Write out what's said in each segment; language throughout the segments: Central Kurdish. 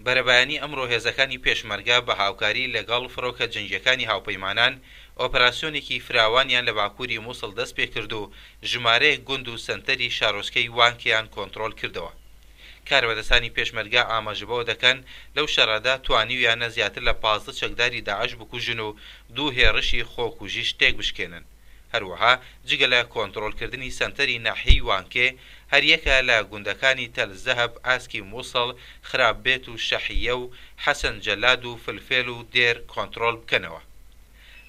بەرەبەیانی ئەمڕۆ هێزەکانی پێشمەرگە بە هاوکاری لەگەڵ فڕۆکە جەنگییەکانی هاوپەیمانان ئۆپەراسیۆنێکی فراوانیان لە باکووری موسڵ دەستپێکرد و ژمارەیەک گوند و سەنتەری شارۆچکەی وانکێیان کۆنتڕۆڵ کردەوە. کاربەدەستانی پێشمەرگە ئاماژە بەوە دەکەن، لەو شەڕەدا توانیویانە زیاتر لە 15 چەکداری داعش بکوژن و دوو هێڕشی خۆکوژیش تێکبشکێنن. هەروەها جگە لە کۆنتڕۆڵکردنی سەنتەری ناحیەی وانکێ، هەریەکە لە گوندەکانی تەل زەهەب، ئاسکی موسڵ، خراب بێت و شەحییە و حەسەن جەلاد و فلفێل و دێر کۆنتڕۆڵ بکەنەوە.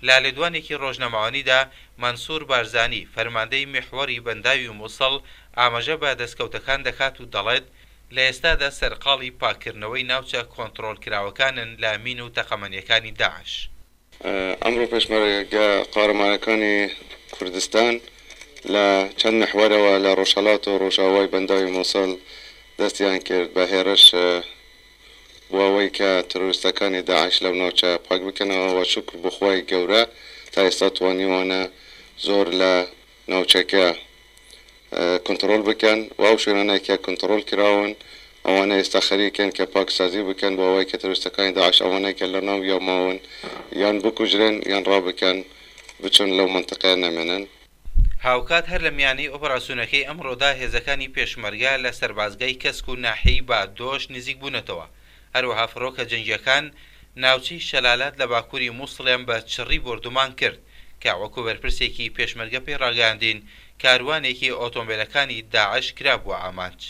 لە لێدوانێکی ڕۆژنامەوانیدا مەنسوور بارزانی، فەرماندەی میحوەری بەنداوی موسڵ ئاماژە بە دەستکەوتەکان دەکات و دەڵێت، لە ئێستادا سەرقاڵی پاککردنەوەی ناوچە کۆنتڕۆڵکراوەکانن لە مین و تەقەمەنییەکانی داعش. ئەمڕۆ پێشمەرگە قارەمانەکانی کوردستان لە چەند میحوەرەوە لە ڕۆژهەڵات و ڕۆژئاوای بەنداوی موسڵ دەستیان کرد بە هێڕش بۆ ئەوەی کە ترۆریستەکانی داعش لەو ناوچە پاک بکەنەوە و شوکر بۆ خوای گەورە تا ئێستا توانیوانە زۆر لە ناوچەکە کۆنتڕۆڵ بکەن و ئەو شوێنانەی کە کۆنتڕۆڵ کراون ئەوانە ئێستا خەریکن کە پاکسازی بکەن بۆ ئەوەی کە ترۆریستەکانی داعش ئەوانەی کە لە ناویا ماون یان بکوژرێن یان ڕابکەن بچن لەو مەنتقەیە نەمێنن. هاوکات هەر لە میانەی ئۆپەراسیۆنەکەی ئەمڕۆدا هێزەکانی پێشمەرگە لە سەربازگای کەسک و ناحیەی بادۆش نزیک بوونەتەوە، هەروەها فڕۆکە جەنگییەکان ناوچەی شەلالات لە باکووری موسڵیان بە چڕی بۆردومان کرد کە وەکو بەرپرسێکی پێشمەرگە پێی ڕاگەیاندین کاروانێکی ئۆتۆمبێلەکانی داعش کرابووە ئامانج.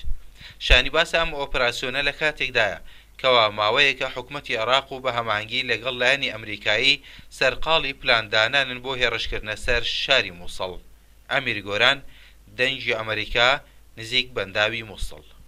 شایانی باسە ئەم ئۆپراسیۆنە لە کاتێکدایە کەوا ماوەیەکە حکومەتی عێراق و بە هەماهەنگی لەگەڵ لایەنی ئەمریکایی سەرقاڵی پلاندانانن بۆ هێڕشکردنە سەر شاری موسڵ. ئەمیر گۆران، دەنگی ئەمریکا، نزیک بەنداوی موسڵ.